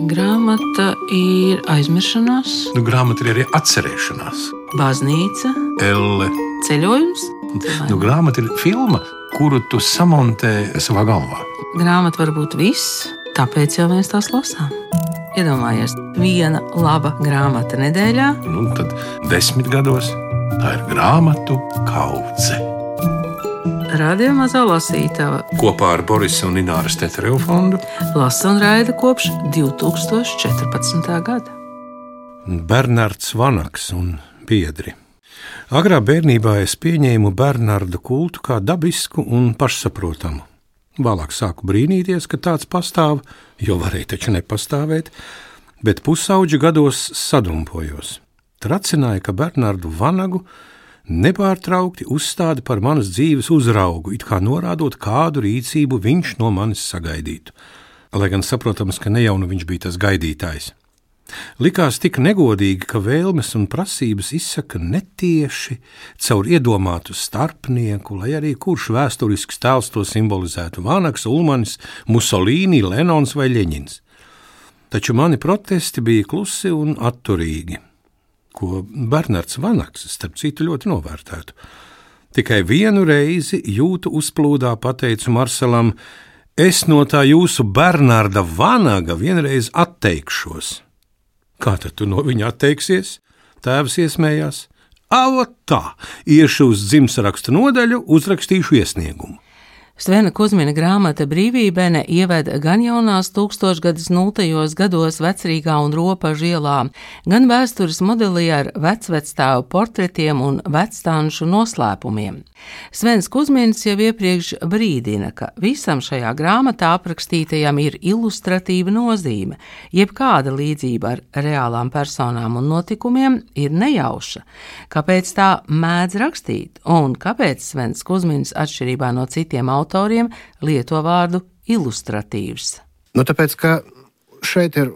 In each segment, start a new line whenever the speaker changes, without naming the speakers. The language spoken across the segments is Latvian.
Grāmata ir aizmiršanās,
Grāmata ir arī atcerēšanās.
baznīca,
Elle.
ceļojums.
Grāmata ir filma, kuru tu samontē savā galvā.
Grāmata var būt viss, tāpēc jau mēs tās lasām. Iedomājies, viena laba grāmata nedēļā.
Tad 10 gados tā ir grāmatu kaudze.
Radio Mazā lasītava
Kopā ar Borisa un Ināras Tetereva fondu
lasa un raida kopš 2014. gada.
Bernards Vanaks un biedri. Agrā bērnībā es pieņēmu Bernarda kultu kā dabisku un pašsaprotamu. Vēlāk sāku brīnīties, ka tāds pastāv, jo varēja taču nepastāvēt, bet pusauģa gados sadumpojos. Tracināja, ka Bernardu Vanagu nepārtraukti uzstāda par manas dzīves uzraugu, it kā norādot, kādu rīcību viņš no manis sagaidītu. Lai gan saprotams, ka ne jau nu viņš bija tas gaidītājs. Likās tik negodīgi, ka vēlmes un prasības izsaka netieši caur iedomātu starpnieku, lai arī kurš vēsturisks tēls to simbolizētu - Vanaks, Ulmanis, Musolīni, Lenons vai Ļeņins. Taču mani protesti bija klusi un atturīgi, ko Bernards Vanaks, starp citu, ļoti novērtētu. Tikai vienu reizi jūtu uzplūdā pateicu Marselam: es no tā jūsu Bernarda Vanaga vienreiz atteikšos. Kā tad tu no viņa atteiksies? Tēvs iesmējās. Tā, iešu uz dzimtsarakstu nodaļu, uzrakstīšu iesniegumu.
Svena Kuzmina grāmata Brīvībene ieved gan jaunās tūkstošgadus 0. gados Vecrīgā un Ropažu ielā, gan vēstures modelī ar vecvectēvu portretiem un vecstānušu noslēpumiem. Svens Kuzmins jau iepriekš brīdina, ka visam šajā grāmatā aprakstītajam ir ilustratīva nozīme, jebkāda līdzība ar reālām personām un notikumiem ir nejauša. Kāpēc tā mēdz rakstīt un kāpēc Svens Kuzmins atšķirībā no citiem autoriem lieto vārdu ilustratīvs?
Tāpēc, ka šeit ir,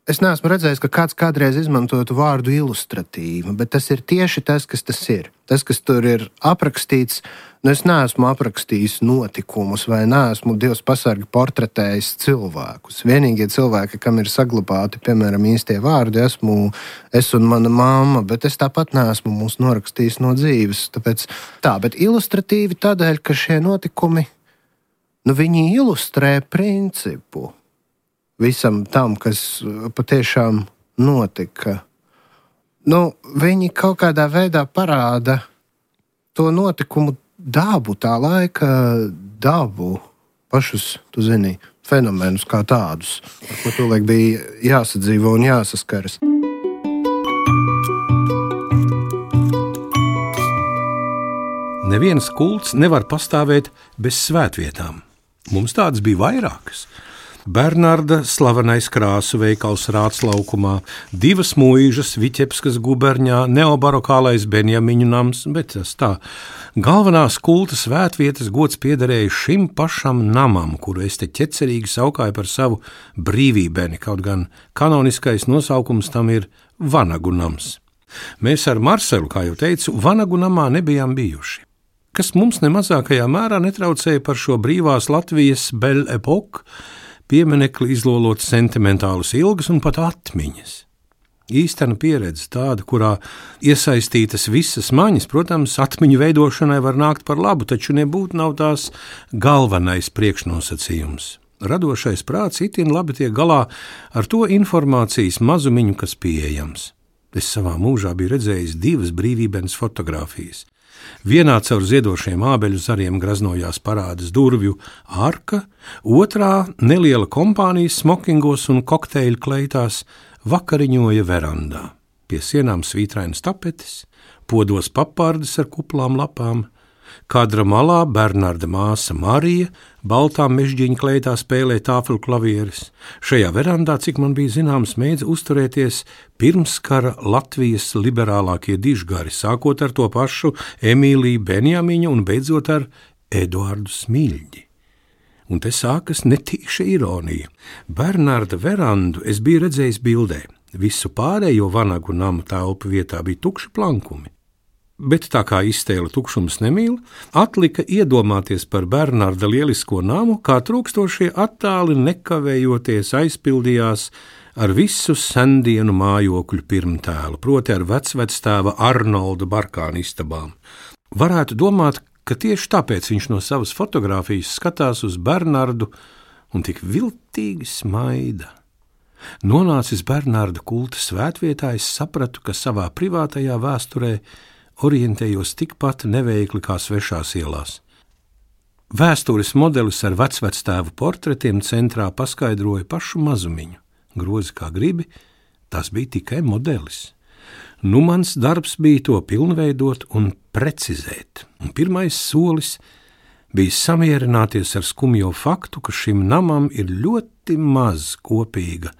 es neesmu redzējis, ka kāds kādreiz izmantotu vārdu ilustratīva, bet tas ir tieši tas, kas tas ir. Tas, kas tur ir aprakstīts, es neesmu aprakstījis notikumus vai neesmu Dievs pasargi portretējis cilvēkus. Vienīgie cilvēki, kam ir saglabāti, piemēram, īstie vārdi, esmu es un mana mamma, bet es tāpat neesmu mūs norakstījis no dzīves. Tāpēc bet ilustratīvi tādēļ, ka šie notikumi, viņi ilustrē principu visam tam, kas patiešām notika. Viņi kaut kādā veidā parāda to notikumu dabu, tā laika dabu, pašus, tu zini, fenomenus kā tādus, ar ko tolaik bija jāsadzīvo un jāsaskaras.
Neviens kults nevar pastāvēt bez svētvietām. Mums tādas bija vairākas. Bernarda slavenais krāsu veikals Rātslaukumā, 2 mūžas Viķepskas guberņā, neobarokālais Benjamiņu nams, bet tas tā. Galvenās kulta svētvietas gods piederēja šim pašam namam, kuru es te ķecerīgi saukāju par savu brīvībeni, kaut gan kanoniskais nosaukums tam ir Vanagu nams. Mēs ar Marselu, kā jau teicu, Vanagu namā nebijām bijuši, kas mums nemazākajā mērā netraucēja par šo brīvās Latvijas Belle Epoque pieminekli izlolot sentimentālas ilgas un pat atmiņas. Īstena pieredze tāda, kurā iesaistītas visas maņas, protams, atmiņu veidošanai var nākt par labu, taču nebūtu nav tās galvenais priekšnosacījums. Radošais prāts itin labi tiek galā ar to informācijas mazumiņu, kas pieejams. Es savā mūžā biju redzējis 2 brīvībenes fotogrāfijas. Vienā caur ziedošiem ābeļu zariem graznojās parādas durvju arka, otrā neliela kompānija smokingos un kokteļu kleitās vakariņoja verandā. Pie sienām svītrainas tapetes, podos papardes ar kuplām lapām, kadra malā Bernarda māsa Marija baltā mežģīņa kleitā spēlē tāfelu klavieres. Šajā verandā, cik man bija zināms, mēdz uzturēties pirmskara Latvijas liberālākie dižgari, sākot ar to pašu Emīliju Benjamiņu un beidzot ar Eduardu Smiļģi. Un te sākas netīša ironija. Bernarda verandu es biju redzējis bildē. Visu pārējo Vanagu nama telpu vietā bija tukši plankumi. Bet tā kā iztēle tukšums nemīl, atlika iedomāties par Bernarda lielisko namu, kā trūkstošie attāli nekavējoties aizpildījās ar visu sendienu mājokļu pirmtēlu, proti ar vecvectēva Arnolda Barkāna istabām. Varētu domāt, ka tieši tāpēc viņš no savas fotogrāfijas skatās uz Bernardu un tik viltīgi smaida. Nonācis Bernarda kulta svētvietā, es sapratu, ka savā privātajā vēsturē orientējos tikpat neveikli kā svešās ielās. Vēstures modelis ar vecvectēvu portretiem centrā paskaidroja pašu mazumiņu. Grozi kā gribi, tas bija tikai modelis. Nu mans darbs bija to pilnveidot un precizēt, un pirmais solis bija samierināties ar skumjo faktu, ka šim namam ir ļoti maz kopīga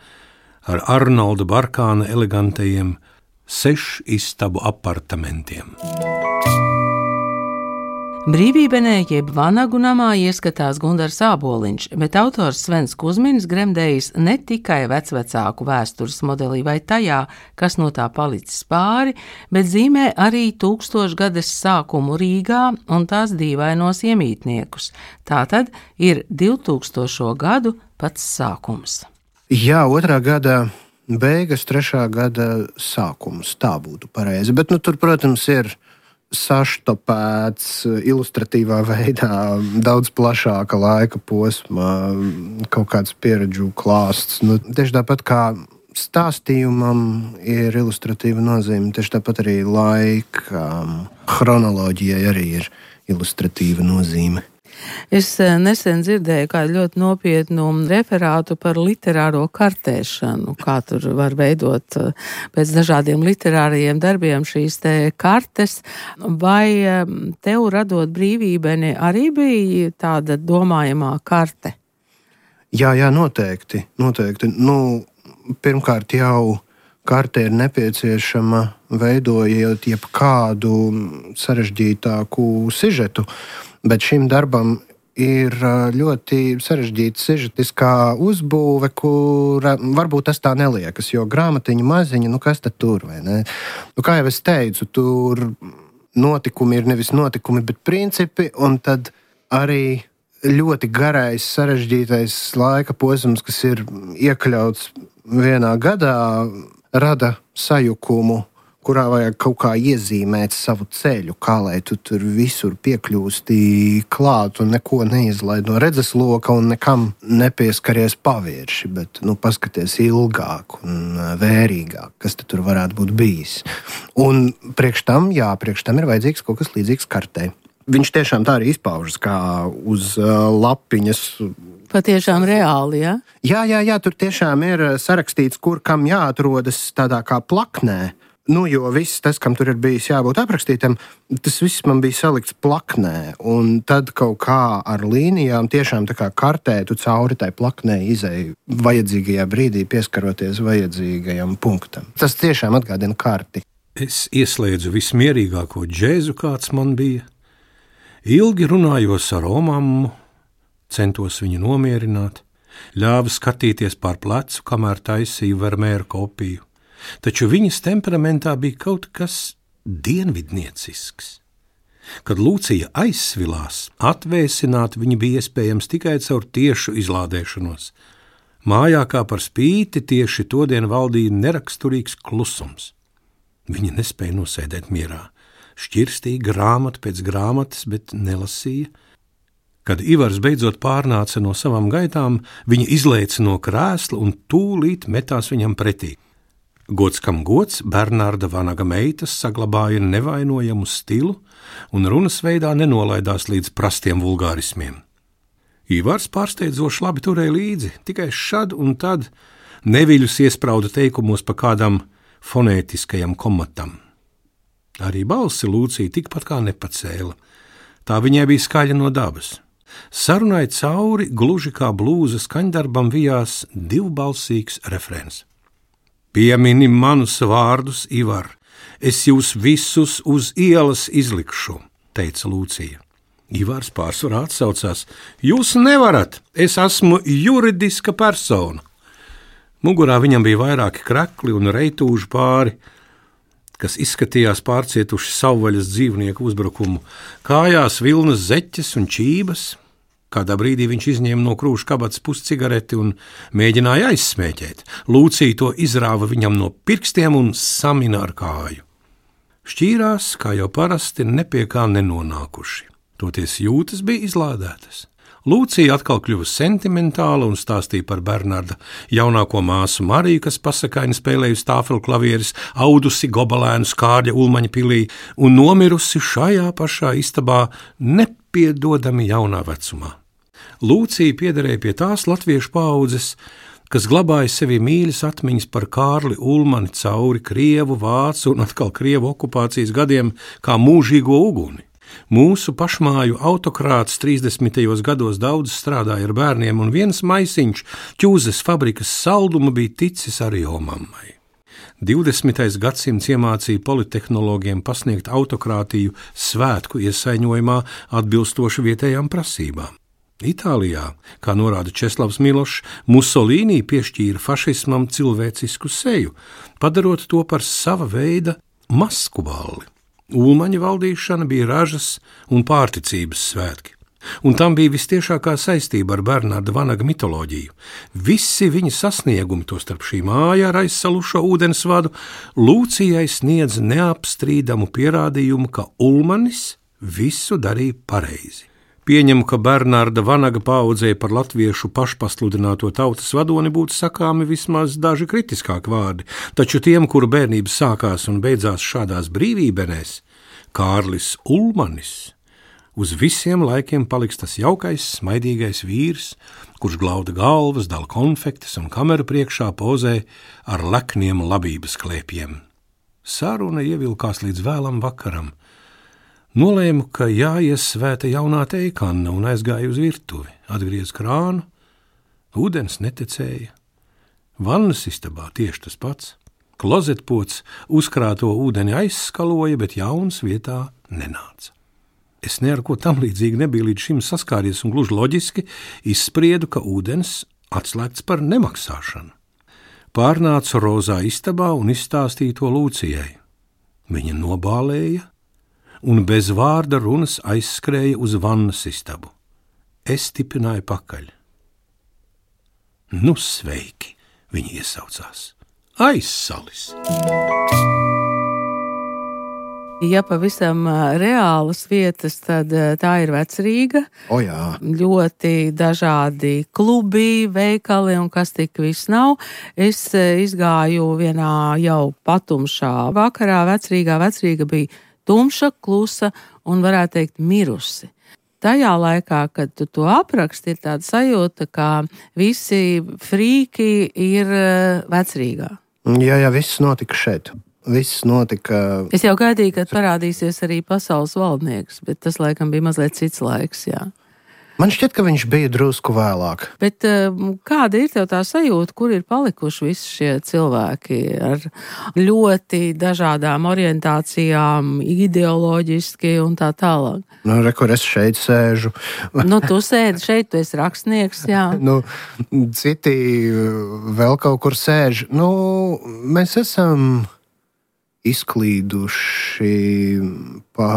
ar Arnolda Barkāna elegantajiem 6 istabu apartamentiem.
Brīvībenē jeb Vanagu namā ieskatās Gundars Āboliņš, bet autors Svens Kuzminis gremdējis ne tikai vecvecāku vēstures modelī vai tajā, kas no tā palicis pāri, bet zīmē arī 1000-gades sākumu Rīgā un tās dīvainos iemītniekus. Tātad ir 2000. gadu pats sākums.
Jā, 2. gada beigas, 3. gada sākums, tā būtu pareizi. Bet tur, protams, ir saštopēts ilustratīvā veidā daudz plašāka laika posma, kaut kāds pieredžu klāsts. Tieši tāpat kā stāstījumam ir ilustratīva nozīme, tieši tāpat arī laika chronoloģijai arī ir ilustratīva nozīme.
Es nesen dzirdēju kādu ļoti nopietnu referātu par literāro kartēšanu, kā tur var veidot pēc dažādiem literārajiem darbiem šīs te kartes. Vai tev radot Brīvībeni arī bija tāda domājamā karte?
Jā, noteikti. Pirmkārt jau karte ir nepieciešama veidojot jebkādu sarežģītāku sižetu. Bet šim darbam ir ļoti sarežģīta sižetiskā uzbūve, kura varbūt tas tā neliekas, jo grāmatiņa maziņa, kas tad tur, vai ne? Kā jau es teicu, tur notikumi ir nevis notikumi, bet principi, un tad arī ļoti garais, sarežģītais laika posms, kas ir iekļauts vienā gadā, rada sajukumu, kurā vajag kaut kā iezīmēt savu ceļu, kā lai tu tur visur piekļūsti klāt un neko neizlaid no redzesloka un nekam nepieskaries pavirši, bet paskaties ilgāk un vērīgāk, kas tur varētu būt bijis. Un priekš tam ir vajadzīgs kaut kas līdzīgs kartei. Viņš tiešām tā arī izpaužas kā uz lapiņas.
Patiešām reāli, ja?
Jā, tur tiešām ir sarakstīts, kur kam jāatrodas tādā kā plaknē. Jo viss tas, kam tur ir bijis jābūt aprakstītam, tas viss man bija salikts plaknē, un tad kaut kā ar līnijām tiešām tā kā kartē tu cauri tai plaknē izēji vajadzīgajā brīdī pieskaroties vajadzīgajam punktam. Tas tiešām atgādina karti.
Es ieslēdzu vismierīgāko džēzu, kāds man bija. Ilgi runājos ar omammu, centos viņu nomierināt, ļāvu skatīties pār plecu, kamēr taisīju Vermeera kopiju. Taču viņas temperamentā bija kaut kas dienvidniecisks. Kad Lūcija aizsvilās, atvēsināt viņu bija iespējams tikai caur tiešu izlādēšanos. Mājā kā par spīti tieši todien valdīja neraksturīgs klusums. Viņa nespēja nosēdēt mierā, šķirstīja grāmatu pēc grāmatas, bet nelasīja. Kad Ivars beidzot pārnāca no savām gaitām, viņa izlēca no krēsla un tūlīt metās viņam pretī. Gods kam gods, Bernarda Vanaga meitas saglabāja nevainojamu stilu un runas veidā nenolaidās līdz prastiem vulgārismiem. Ivars pārsteidzoši labi turēja līdzi, tikai šad un tad neviļus iesprauda teikumos pa kādam fonētiskajam komatam. Arī balsi Lūcija tikpat kā nepacēla. Tā viņai bija skaļa no dabas. Sarunai cauri, gluži kā blūza skaņdarbam, vijās divbalsīgs refrēns. Piemini manus vārdus, Ivar, es jūs visus uz ielas izlikšu, teica Lūcija. Ivars pārsvarā atsaucās, jūs nevarat, es esmu juridiska persona. Mugurā viņam bija vairāki krekli un reitūži pāri, kas izskatījās pārcietuši savvaļas dzīvnieku uzbrukumu, kājās vilnas zeķes un čības. Kādā brīdī viņš izņēma no krūša kabatas puscigareti un mēģināja aizsmēķēt. Lūcija to izrāva viņam no pirkstiem un samina ar kāju. Šķīrās, kā jau parasti, ne pie kā nenonākuši. Toties jūtas bija izlādētas. Lūcija atkal kļuva sentimentāla un stāstīja par Bernarda jaunāko māsu Mariju, kas pasakaini spēlējusi tāfelklavieres, audusi gobelēnu Kārļa Ulmaņa pilī un nomirusi šajā pašā istabā nepiedodami jaunā vecumā. Lūcija piederēja pie tās latviešu paaudzes, kas glabāja sevī mīļas atmiņas par Kārli Ulmani cauri krievu, vācu un atkal krievu okupācijas gadiem kā mūžīgo uguni. Mūsu pašmāju autokrāts 30. gados daudz strādāja ar bērniem, un viens maisiņš ķūzes fabrikas saldumu bija ticis arī omammai. 20. gadsimts iemācīja politehnologiem pasniegt autokrātiju svētku iesaiņojumā atbilstoši vietējām prasībām. Itālijā, kā norāda Česlavs Milošs, Musolīnī piešķīra fašismam cilvēcisku seju, padarot to par sava veida masku balli. Ulmaņa valdīšana bija ražas un pārticības svētki, un tam bija vistiešākā saistība ar Bernarda Vanaga mitoloģiju. Visi viņa sasniegumi, tostarp šī māja ar aizsalušo ūdensvadu, Lūcijai sniedz neapstrīdamu pierādījumu, ka Ulmanis visu darīja pareizi. Pieņemu, ka Bernarda Vanaga paaudzē par latviešu pašpasludināto tautas vadoni būtu sakāmi vismaz daži kritiskāki vārdi, taču tiem, kuru bērnības sākās un beidzās šādās brīvībenēs, Kārlis Ulmanis uz visiem laikiem paliks tas jaukais, smaidīgais vīrs, kurš glauda galvas, dala konfektes un kameru priekšā pozē ar lekniem labības klēpjiem. Saruna ievilkās līdz vēlam vakaram. Nolēmu, ka jāiesvēta jaunā teikanna un aizgāju uz virtuvi. Atgriez krānu, ūdens netecēja. Vannas istabā tieši tas pats. Klozetpots uzkrāto ūdeni aizskaloja, bet jauns vietā nenāca. Es ne ar ko tam līdzīgi nebiju līdz šim saskāries un gluži loģiski izspriedu, ka ūdens atslēgts par nemaksāšanu. Pārnācu rozā istabā un izstāstīju to Lūcijai. Viņa nobālēja un bez vārda runas aizskrēja uz vannas istabu. Es tipināju pakaļ. Nu, sveiki, viņi iesaucās. Aizsalis!
Ja pavisam reālas vietas, tad tā ir Vecrīga.
O jā.
Ļoti dažādi klubi, veikali un kas tik viss nav. Es izgāju vienā jau patumšā vakarā Vecrīgā. Vecrīga bija tumša, klusa un, varētu teikt, mirusi. Tajā laikā, kad tu to apraksti, ir tāda sajūta, ka visi frīki ir Vecrīgā.
Jā, viss notika šeit. Viss notika.
Es jau gaidīju, kad parādīsies arī pasaules valdnieks, bet tas laikam bija mazliet cits laiks, jā.
Man šķiet, ka viņš bija drusku vēlāk.
Bet kāda ir tev tā sajūta, kur ir palikuši visi šie cilvēki ar ļoti dažādām orientācijām, ideoloģiski un tā tālāk?
Nu, kur es šeit sēžu.
Nu, tu sēdi šeit, tu esi rakstnieks, jā.
Nu, citi vēl kaut kur sēž. Nu, mēs esam izklīduši pa...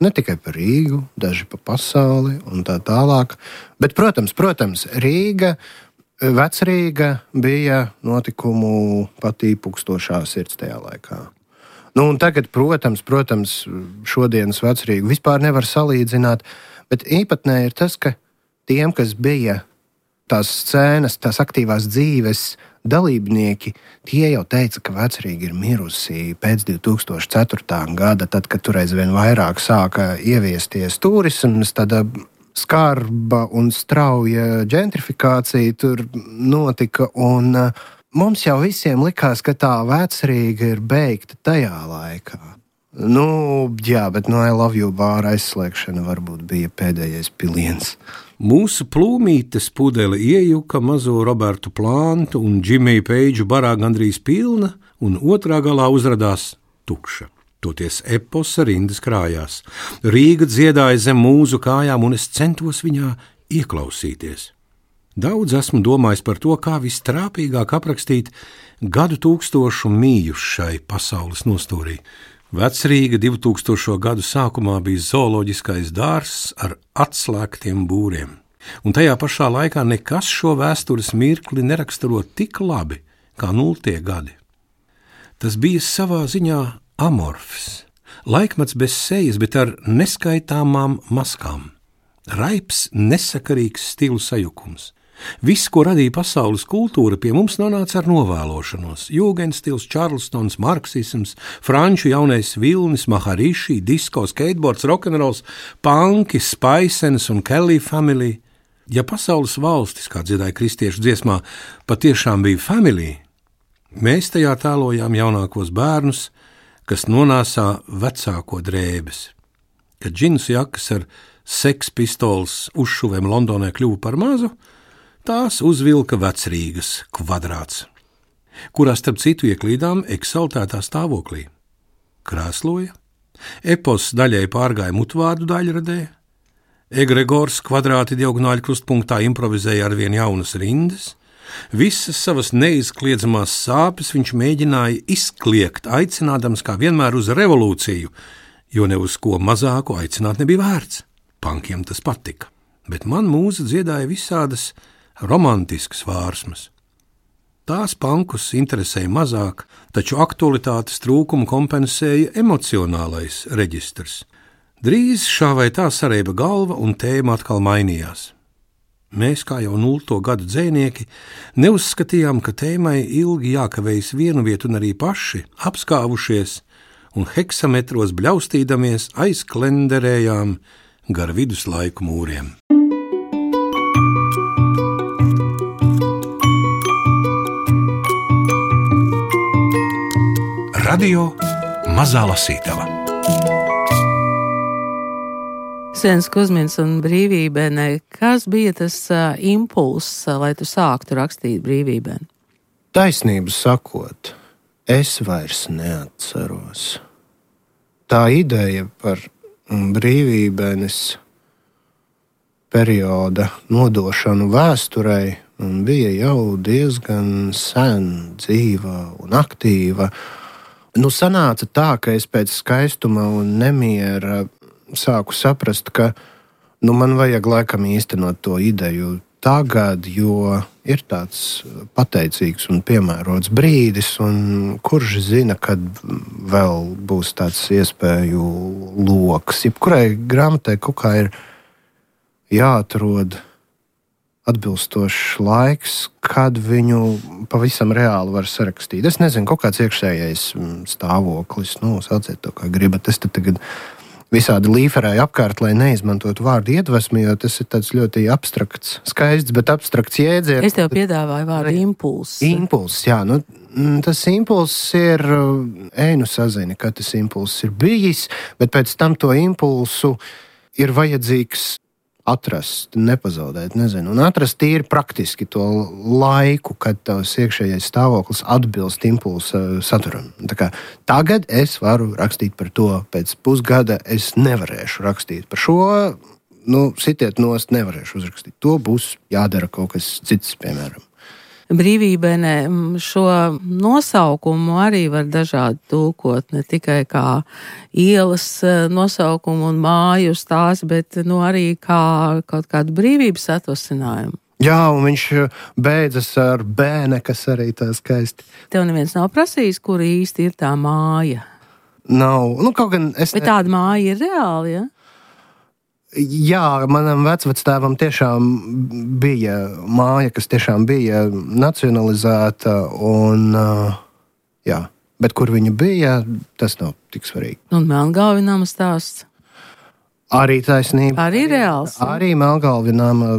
Ne tikai par Rīgu, daži pa pasauli un tā tālāk. Bet, protams, Rīga, Vecrīga bija notikumu patī pukstošā sirds tajā laikā. Nu, un tagad, protams, šodienas Vecrīgu vispār nevar salīdzināt, bet īpatnē ir tas, ka tiem, kas bija tās scēnas, tās aktīvās dzīves dalībnieki, tie jau teica, ka Vecrīga ir mirusi pēc 2004. gada, tad, kad tur aizvien vairāk sāka ieviesties turisms, tāda skarba un strauja ģentrifikācija tur notika, un mums jau visiem likās, ka tā Vecrīga ir beigta tajā laikā. Nu, jā, bet no I Love You bāra aizslēgšana varbūt bija pēdējais piliens.
Mūsu plūmītes pudele iejuka mazo Robertu Plantu un Džimiju Peidžu barā gandrīz pilna, un otrā galā uzradās tukša. Toties eposa rindas krājās. Rīga dziedāja zem mūsu kājām, un es centos viņā ieklausīties. Daudz esmu domājis par to, kā vistrāpīgāk aprakstīt gadu tūkstošu mījušai pasaules nostūrī. Vecrīga 2000. gadu sākumā bija zooloģiskais dārzs ar atslēgtiem būriem, un tajā pašā laikā nekas šo vēstures mirkli neraksturo tik labi kā 0. gadi. Tas bija savā ziņā amorfs, laikmets bez sejas, bet ar neskaitāmām maskām. Raips, nesakarīgs stilu sajukums. Viss, ko radīja pasaules kultūra, pie mums nonāca ar novēlošanos. Jūgenstils, Čarlstons, marksisms, franču jaunais vilnis, mahariši, disko, skateboards, rokenrols, punki, Spaisenes un Kelly family. Ja pasaules valstis, kā dziedāja kristiešu dziesmā, patiešām bija family, mēs tajā tēlojām jaunākos bērnus, kas nonāsā vecāko drēbes. Kad džins jakas ar sekspistoles uzšuvēm Londonē kļuva par mazu, tās uzvilka Vecrīgas kvadrāts, kurā starp citu ieklīdām eksaltētā stāvoklī. Krēsloja, epos daļai pārgāja mutvārdu daļradē, egregors kvadrāti diagonāļu krustpunktā improvizēja ar vien jaunas rindas, visas savas neizkliedzamās sāpes viņš mēģināja izkliegt, aicinādams kā vienmēr uz revolūciju, jo ne uz ko mazāku aicināt nebija vērts. Pankiem tas patika, bet man mūza dziedāja visādas romantiskas vārsmas. Tās pankus interesēja mazāk, taču aktualitātes trūkumu kompensēja emocionālais reģistrs. Drīz šā vai tā sareiba galva un tēma atkal mainījās. Mēs, kā jau 0. gadu dzejnieki, neuzskatījām, ka tēmai ilgi jākavējas vienu vietu un arī paši, apskāvušies un heksametros bļaustīdamies aizklenderējām gar viduslaiku mūriem.
Radio Mazā Lasītava.
Sens Kuzmins un Brīvībene, kas bija tas impulss, lai tu sāktu rakstīt Brīvībeni?
Taisnību sakot, es vairs neatceros. Tā ideja par Brīvībenes perioda nodošanu vēsturei bija jau diezgan sen dzīva un aktīva. Sanāca tā, ka es pēc skaistuma un nemiera sāku saprast, ka man vajag laikam īstenot to ideju tagad, jo ir tāds pateicīgs un piemērots brīdis, un kurš zina, kad vēl būs tāds iespēju loks. Jebkurai grāmatai kaut kā ir jāatrod atbilstošs laiks, kad viņu pavisam reāli var sarakstīt. Es nezinu, kaut kāds iekšējais stāvoklis, sauciet to kā gribat. Es te tagad visādi līferēju apkārt, lai neizmantotu vārdu iedvesmi, jo tas ir tāds ļoti abstrakts, skaists, bet abstrakts jēdziens.
Es tev piedāvāju vārdu impulss.
Impulss, jā. Tas impulss ir, sazini, ka tas impulss ir bijis, bet pēc tam to impulsu ir vajadzīgs atrast, nepazaudēt, un atrast tīri praktiski to laiku, kad tavs iekšējais stāvoklis atbilst impulsa saturam. Tā kā tagad es varu rakstīt par to, pēc pusgada es nevarēšu rakstīt par šo, sitiet nost, nevarēšu uzrakstīt. To būs jādara kaut kas cits, piemēram.
Brīvībene šo nosaukumu arī var dažādi tulkot, ne tikai kā ielas nosaukumu un māju stāstu, bet arī kā kaut kādu brīvības atvasinājumu.
Jā, un viņš beidzas ar bēne, kas arī tā skaisti.
Tev neviens nav prasījis, kur īsti ir tā māja?
Nav. Kaut gan es...
Bet tāda māja ir reāli, ja?
Jā, manam vecvectēvam tiešām bija māja, kas tiešām bija nacionalizēta, bet kur viņa bija, tas nav tik svarīgi.
Un Melngalvi nama stāsts?
Arī taisnība.
Arī reāls?
Arī Melngalvi nama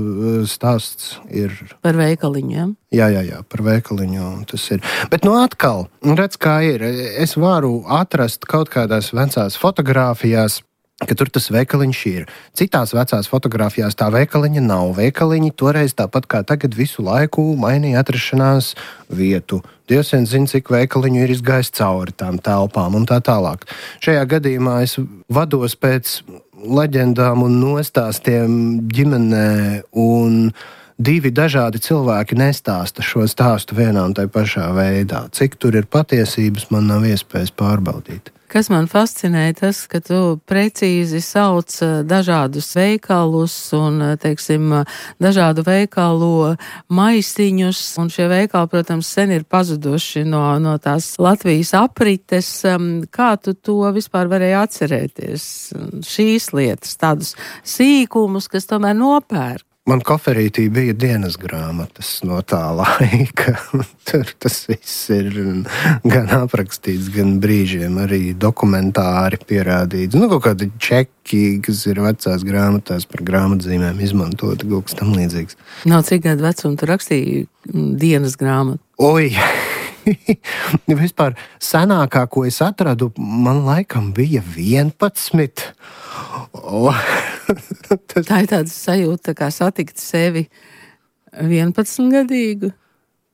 stāsts ir...
Par veikaliņiem?
Jā, par veikaliņu tas ir. Bet atkal, redz kā ir, es varu atrast kaut kādās vecās fotogrāfijās, ka tur tas veikaliņš ir. Citās vecās fotogrāfijās tā veikaliņa nav. Veikaliņi toreiz tāpat kā tagad visu laiku mainīja atrašanās vietu. Dievs vien zina, cik veikaliņu ir izgājis cauri tām telpām un tā tālāk. Šajā gadījumā es vados pēc leģendām un nostāstiem ģimenē, un divi dažādi cilvēki nestāsta šo stāstu vienā un tai pašā veidā. Cik tur ir patiesības, man nav iespējas pārbaudīt.
Kas man fascinēja, tas, ka tu precīzi sauc dažādus veikalus un, teiksim, dažādu veikalu maisiņus, un šie veikali, protams, sen ir pazuduši no tās Latvijas aprites. Kā tu to vispār varēji atcerēties? Šīs lietas, tādus sīkumus, kas tomēr nopērk.
Man koferītī bija dienas grāmatas no tā laika. Tur tas viss ir gan aprakstīts, gan brīžiem arī dokumentāri pierādīts. Kaut kādi čeki, kas ir vecās grāmatās par grāmatzīmēm izmantoti, kaut kas tam līdzīgs.
Nav cik gadu vecumu tu rakstīji dienas grāmatu?
Oi! Vispār senākā, ko es atradu, man laikam bija 11.
Tā ir tāda sajūta, kā satikt sevi 11-gadīgu.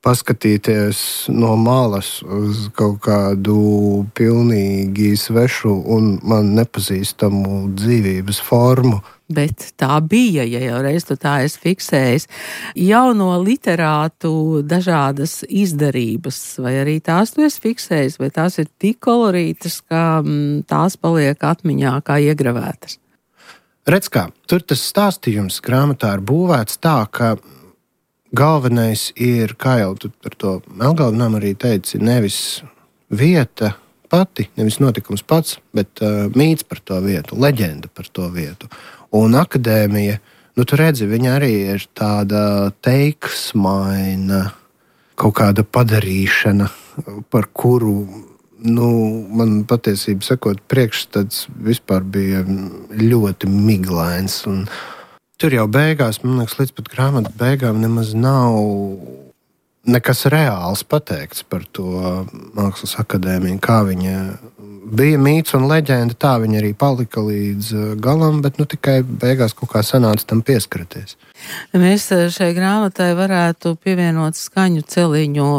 Paskatīties no malas uz kaut kādu pilnīgi svešu un man nepazīstamu dzīvības formu.
Bet tā bija, ja jau reiz tu tā esi fiksējis. Jauno literātu dažādas izdarības, vai arī tās tu esi fiksējis, vai tās ir tik kolorītas, ka tās paliek atmiņā kā iegravētas?
Redz kā, tur tas stāstījums grāmatā ir būvēts tā, ka galvenais ir, kā jau tu par to Melngalvenām arī teici, nevis vieta pati, nevis notikums pats, bet mīts par to vietu, leģenda par to vietu. Un akadēmija, tu redzi, viņa arī ir tāda teiksmaina, kaut kāda padarīšana, par kuru, man patiesība sakot, priekšstats vispār bija ļoti miglains. Un tur jau beigās, man liekas, līdz pat grāmatas beigām nemaz nav nekas reāls pateikts par to Mākslas akadēmiju, kā viņa bija mīts un leģenda, tā viņa arī palika līdz galam, bet tikai beigās kaut kā sanāca tam pieskarties.
Mēs šai grāmatai varētu pievienot skaņu celiņu,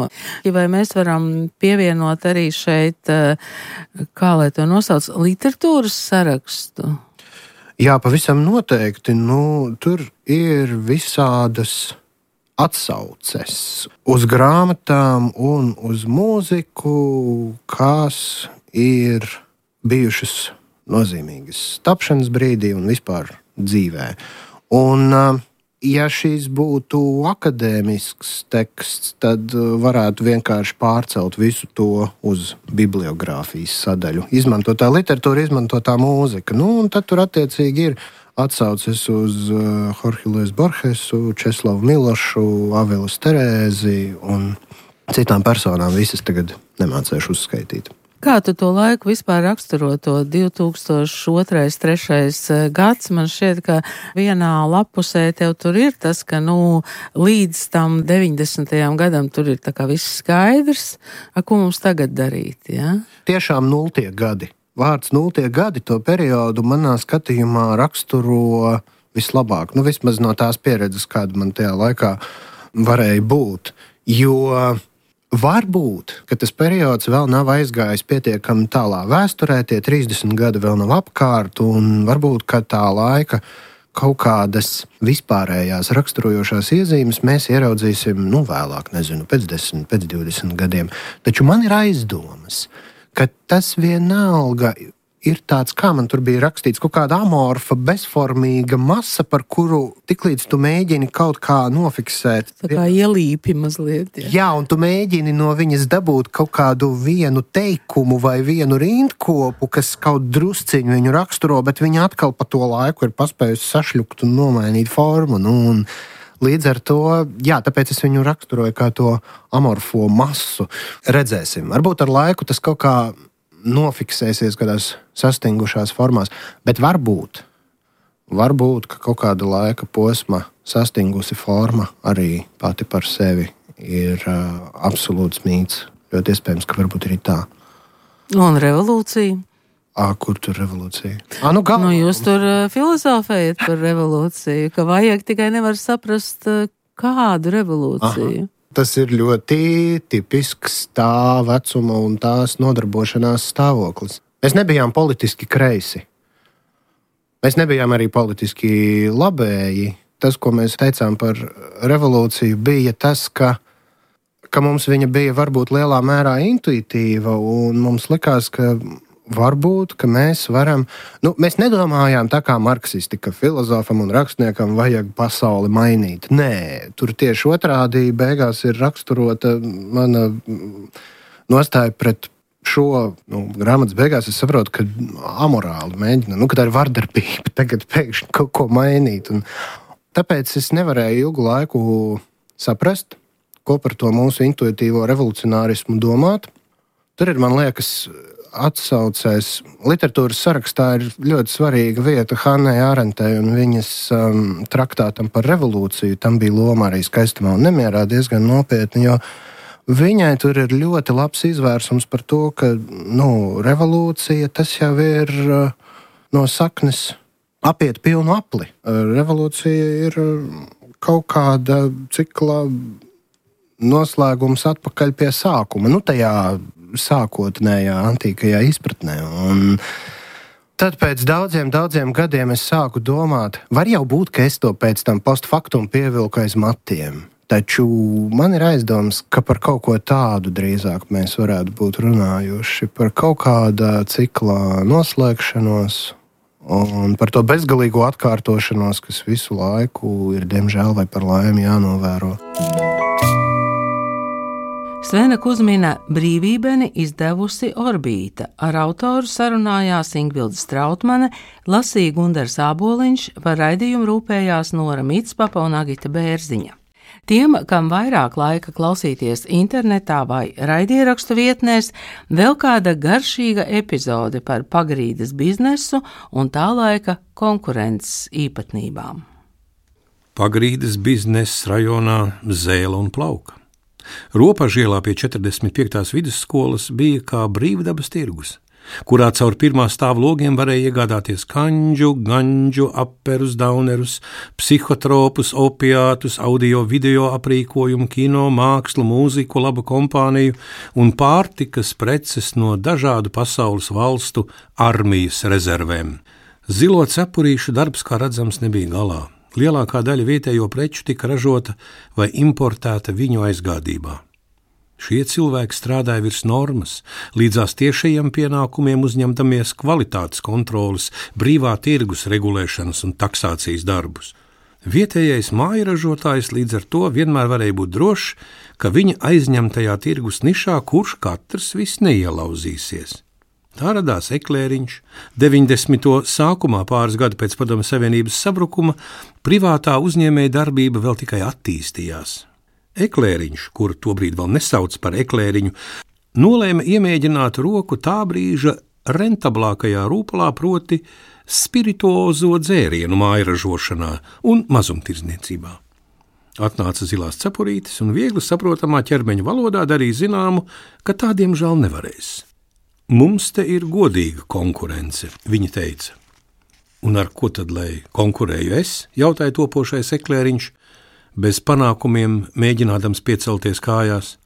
vai mēs varam pievienot arī šeit, kā lai to nosauc, literatūras sarakstu?
Jā, pavisam noteikti. Tur ir visādas atsauces uz grāmatām un uz mūziku, kas ir bijušas nozīmīgas tapšanas brīdī un vispār dzīvē. Un, ja šīs būtu akadēmisks teksts, tad varētu vienkārši pārcelt visu to uz bibliogrāfijas sadaļu. Izmantotā literatūra, izmantotā mūzika. Un tad tur attiecīgi ir atsauces uz Jorge Luis Borgesu, Česlavu Milošu, Avelis Terēzi un citām personām. Visas tagad nemācēšu uzskaitīt.
Kā tu to laiku vispār raksturo, to 2002-2003 gads? Man šķiet, ka vienā lapusē tev tur ir tas, ka līdz tam 90. gadam tur ir tā kā viss skaidrs. Ko mums tagad darīt? Ja?
Tiešām 0. gadi. Vārds 0. gadi to periodu manā skatījumā raksturo vislabāk. Vismaz no tās pieredzes, kāda man tajā laikā varēja būt. Jo varbūt, ka tas periods vēl nav aizgājis pietiekami tālā vēsturē, tie 30 gadi vēl nav apkārt, un varbūt, ka tā laika kaut kādas vispārējās raksturojošās iezīmes mēs ieraudzīsim, vēlāk, pēc 10, pēc 20 gadiem. Taču man ir aizdomas, ka tas vienalga ir tāds, kā man tur bija rakstīts, kaut kāda amorfa, bezformīga masa, par kuru tiklīdz tu mēģini kaut kā nofiksēt.
Tā kā ielīpi mazliet.
Jā, un tu mēģini no viņas dabūt kaut kādu vienu teikumu vai vienu rindkopu, kas kaut drusciņu viņu raksturo, bet viņa atkal pa to laiku ir paspējusi sašļukt un nomainīt formu. Un līdz ar to, tāpēc es viņu raksturoju kā to amorfo masu. Redzēsim. Varbūt ar laiku tas kaut kā nofiksēsies kādās sastingušās formās, bet varbūt, ka kaut kāda laika posma sastingusi forma arī pati par sevi ir absolūts mīts. Ļoti iespējams, ka varbūt arī tā.
Un revolūcija?
Kur tur revolūcija?
Jūs tur filozofējat par revolūciju, ka vajag tikai nevar saprast, kādu revolūciju.
Aha. Tas ir ļoti tipisks tā vecuma un tās nodarbošanās stāvoklis. Mēs nebijām politiski kreisi. Mēs nebijām arī politiski labēji. Tas, ko mēs teicām par revolūciju, bija tas, ka mums viņa bija varbūt lielā mērā intuitīva, un mums likās, ka varbūt, ka mēs varam, mēs nedomājām tā kā marksisti, ka filozofam un rakstniekam vajag pasauli mainīt. Nē, tur tieši otrādi beigās ir raksturota mana nostāja pret šo grāmatas beigās. Es saprotu, ka amorāli mēģina, ka tā ir vardarbība tagad pēkšņi kaut ko mainīt. Un tāpēc es nevarēju ilgu laiku saprast, ko par to mūsu intuitīvo revolucionārismu domāt. Tur ir, man liekas, atsaucēs literatūras sarakstā ir ļoti svarīga vieta Hannai Ārentei un viņas traktātam par revolūciju. Tam bija loma arī Skaistumā un nemierā diezgan nopietni, jo viņai tur ir ļoti labs izvērsums par to, ka revolūcija tas jau ir no saknes apiet pilnu apli. Revolūcija ir kaut kāda cikla noslēgums atpakaļ pie sākuma. Tajā sākotnējā antīkajā izpratnē. Un tad pēc daudziem gadiem es sāku domāt, var jau būt, ka es to pēc tam postfaktum pievilku aiz matiem. Taču man ir aizdoms, ka par kaut ko tādu drīzāk mēs varētu būt runājuši, par kaut kāda cikla noslēgšanos un par to bezgalīgo atkārtošanos, kas visu laiku ir, diemžēl vai par laimi, jānovēro.
Svena Kuzmina Brīvībeni izdevusi Orbīta. Ar autoru sarunājās Ingvilde Strautmane, lasīja Gundars Āboliņš, par raidījumu rūpējās Nora Mitspapa un Agita Bērziņa. Tiem, kam vairāk laika klausīties internetā vai raidierakstu vietnēs, vēl kāda garšīga epizode par pagrīdes biznesu un tā laika konkurences īpatnībām.
Pagrīdes bizness rajonā Zēle un Plauka. Ropažielā pie 45. vidusskolas bija kā brīvdabas tirgus, kurā caur pirmā stāva logiem varēja iegādāties kanģu, ganģu, aperus, daunerus, psihotropus, opiātus, audio video aprīkojumu, kino, mākslu, mūziku, labu kompāniju un pārtikas preces no dažādu pasaules valstu armijas rezervēm. Zilo cepurīšu darbs, kā redzams, nebija galā. Lielākā daļa vietējo preču tika ražota vai importēta viņu aizgādībā. Šie cilvēki strādāja virs normas, līdzās tiešajiem pienākumiem uzņemdamies kvalitātes kontroles, brīvā tirgus regulēšanas un taksācijas darbus. Vietējais mājražotājs līdz ar to vienmēr varēja būt drošs, ka viņa aizņemtajā tirgus nišā kurš katrs viss neielauzīsies. Tā radās eklēriņš. 90. sākumā, pāris gadu pēc Padomju Savienības sabrukuma, privātā uzņēmēja darbība vēl tikai attīstījās. Eklēriņš, kuru tobrīd vēl nesauc par eklēriņu, nolēma iemēģināt roku tā brīža rentablākajā rūpalā, proti spirituozo dzērienu mājražošanā un mazumtirdzniecībā. Atnāca zilās cepurītes un viegli saprotamā ķermeņa valodā darīja zināmu, ka tā diemžēl nevarēs. Mums te ir godīga konkurence, viņa teica. Un ar ko tad, lai konkurēju es, jautāja topošais eklēriņš, bez panākumiem mēģinādams piecelties kājās.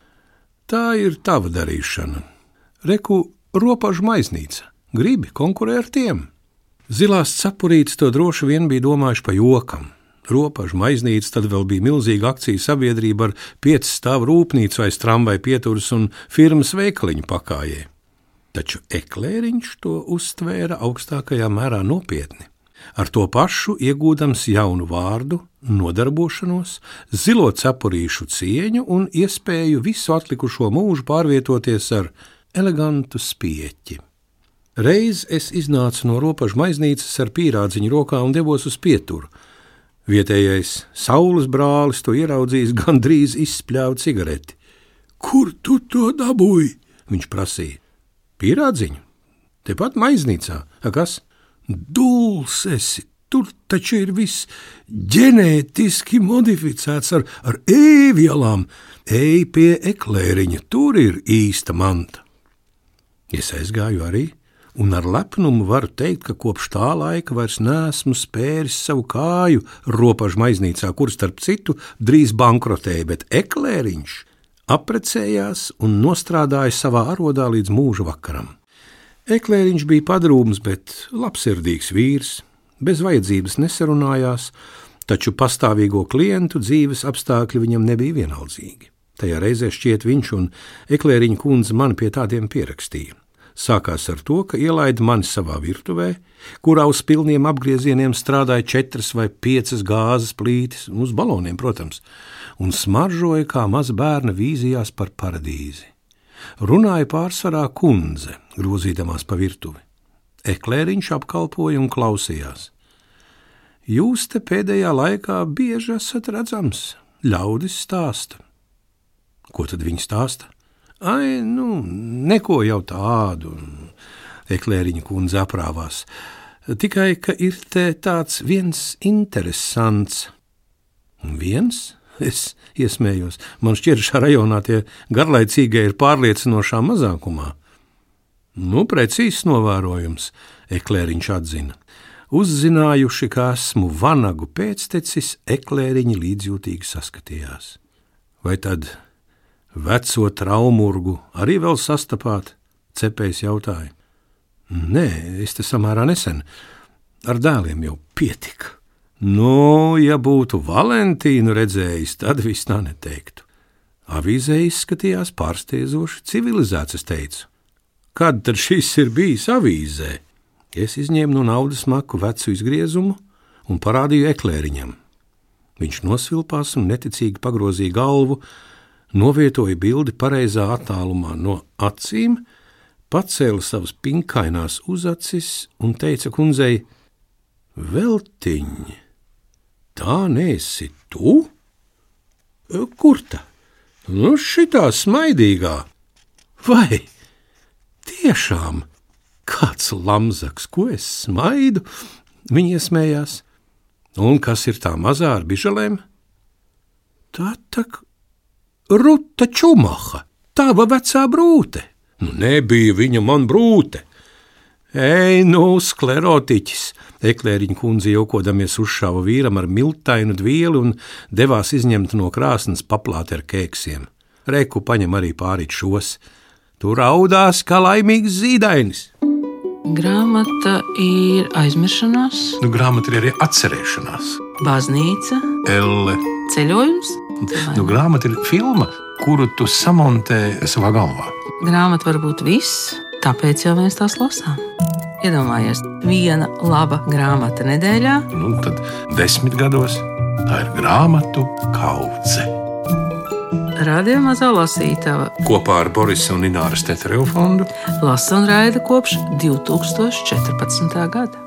Tā ir tava darīšana. Reku, ropažu maiznīca, gribi konkurē ar tiem. Zilās cepurītes to droši vien bija domājuši pa jokam. Ropažu maiznīca tad vēl bija milzīga akciju sabiedrība ar 5 stāvu rūpnīcu aiz tramvai pieturas un firmas veikaliņu pakājē. Taču eklēriņš to uztvēra augstākajā mērā nopietni. Ar to pašu iegūdams jaunu vārdu, nodarbošanos, zilo cepurīšu cieņu un iespēju visu atlikušo mūžu pārvietoties ar elegantu spieķi. Reiz es iznācu no ropažu maiznīcas ar pīrādziņu rokā un devos uz pieturu. Vietējais saules brālis to ieraudzījis, gandrīz izspļāva cigareti. Kur tu to dabūji? Viņš prasīja. Pīrādziņu? Tepat maiznīcā. Kas? Dūls esi, tur taču ir viss ģenētiski modificēts ar ēvielām. Ej pie eklēriņa, tur ir īsta manta. Es aizgāju arī, un ar lepnumu varu teikt, ka kopš tā laika vairs neesmu spēris savu kāju ropažu maiznīcā, kur starp citu drīz bankrotēja, bet eklēriņš apprecējās un nostrādāja savā arodā līdz mūža vakaram. Eklēriņš bija padrūms, bet labsirdīgs vīrs, bez vajadzības nesarunājās, taču pastāvīgo klientu dzīves apstākļi viņam nebija vienaldzīgi. Tajā reizē šķiet viņš un eklēriņa kundze mani pie tādiem pierakstīja. Sākās ar to, ka ielaida mani savā virtuvē, kurā uz pilniem apgriezieniem strādāja 4 vai 5 gāzes plītis, uz baloniem, protams, un smaržoja, kā maza bērna vīzījās par paradīzi. Runāja pārsvarā kundze, grozīdamās pa virtuvi. Eklēriņš apkalpoja un klausījās. Jūs te pēdējā laikā bieži esat redzams, ļaudis stāsta. Ko tad viņi stāsta? Ai, neko jau tādu, Eklēriņa kundze aprāvās. Tikai, ka ir te tāds viens interesants. Viens? Es iesmējos. Man šķiet, šā rajonā tie garlaicīgie ir pārliecinošā mazākumā. Precīzs novērojums, Eklēriņš atzina. Uzzinājuši, ka esmu vanagu pēctecis, Eklēriņi līdzjūtīgi saskatījās. Vai tad veco traumurgu arī vēl sastapāt? Cepējs jautāja. Nē, es te samērā nesen. Ar dēliem jau pietika. Ja būtu Valentīnu redzējis, tad viss tā neteiktu. Avīzē izskatījās pārsteidzoši civilizēts, es teicu. Kad tad šis ir bijis avīzē? Es izņēmu no naudas maku vecu izgriezumu un parādīju Eklēriņam. Viņš nosvilpās un neticīgi pagrozīja galvu, novietoja bildi pareizā attālumā no acīm, pacēla savas pinkainās uzacis un teica kundzei: Veltiņ, tā neesi tu? Kur ta? Šitā smaidīgā. Vai tiešām kāds lamzaks, ko es smaidu? Viņi iesmējās. Un kas ir tā mazā ar bižalēm? Tā tak Ruta Čumaha, tava vecā brūte. Nebija viņa man brūte. Ei, sklerotiķis, Eklēriņa kundze jaukodamies uzšāva vīram ar miltainu dvieli un devās izņemt no krāsnes paplāti ar kēksiem. Reku paņem arī pārīt šos. Tu raudās kā laimīgs zīdainis.
Grāmata ir aizmiršanās,
Grāmata ir arī atcerēšanās.
baznīca,
Elle.
ceļojums.
Grāmata ir filma, kuru tu samontē savā galvā.
Grāmata var būt viss, tāpēc jau mēs tās lasām. Iedomājies, viena laba grāmata nedēļā.
Tad 10 gados tā ir grāmatu kaudze.
Radio Mazā lasītava
Kopā ar Borisa un Ināras Teterevu fondu
lasa un raida kopš 2014. gada.